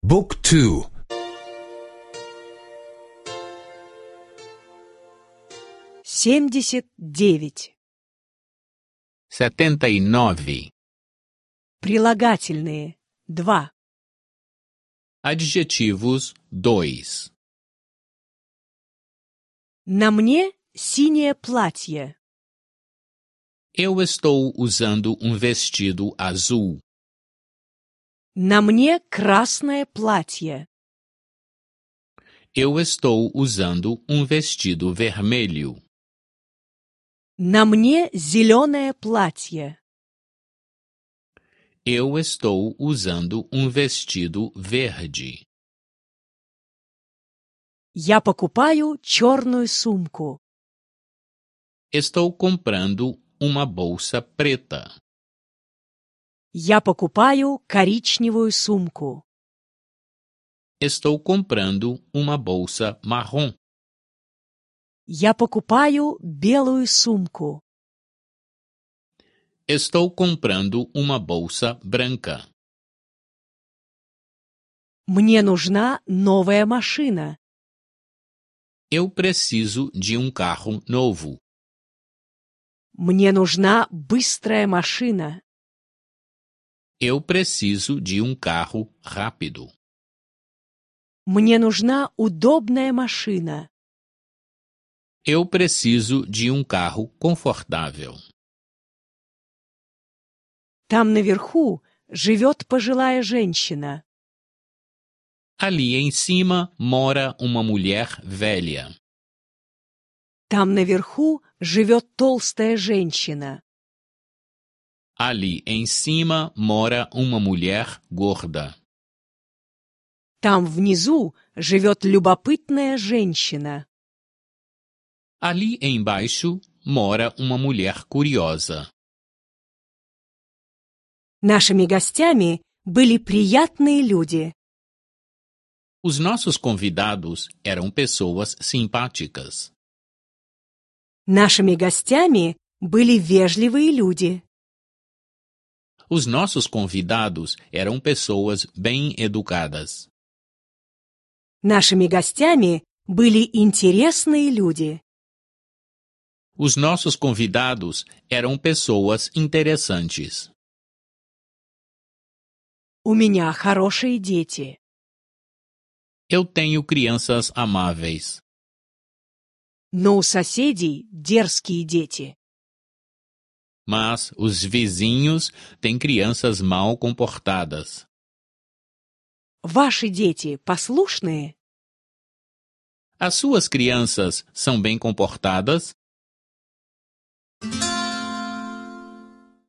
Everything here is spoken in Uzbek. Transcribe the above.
Book 2. 79. 79. Прилагательные. 2. Adjetivos 2. На мне синее платье. Eu estou usando um vestido azul. На мне красное платье. Eu estou usando um vestido vermelho. На мне зеленое платье. Eu estou usando um vestido verde. Я покупаю черную сумку. Estou comprando uma bolsa preta. Я покупаю коричневую сумку. Estou comprando uma bolsa marrom. Я покупаю белую сумку. Estou comprando uma bolsa branca. Мне нужна новая машина. Eu preciso de um carro novo. Мне нужна быстрая машина. Eu preciso de um carro rápido. Мне нужна удобная машина. Eu preciso de um carro confortável. Там наверху живет пожилая женщина. Ali em cima mora uma mulher velha. Там наверху живет толстая женщина. Ali em cima mora uma mulher gorda. Там внизу живет любопытная женщина. Ali embaixo mora uma mulher curiosa. Нашими гостями были приятные люди. Os nossos convidados eram pessoas simpáticas. Нашими гостями были вежливые люди. Os nossos convidados eram pessoas bem educadas. Нашими гостями были интересные люди. Os nossos convidados eram pessoas interessantes. У меня хорошие дети. Eu tenho crianças amáveis. Но у соседей дерзкие дети. Mas os vizinhos têm crianças mal comportadas. Ваши дети послушные? As suas crianças são bem comportadas?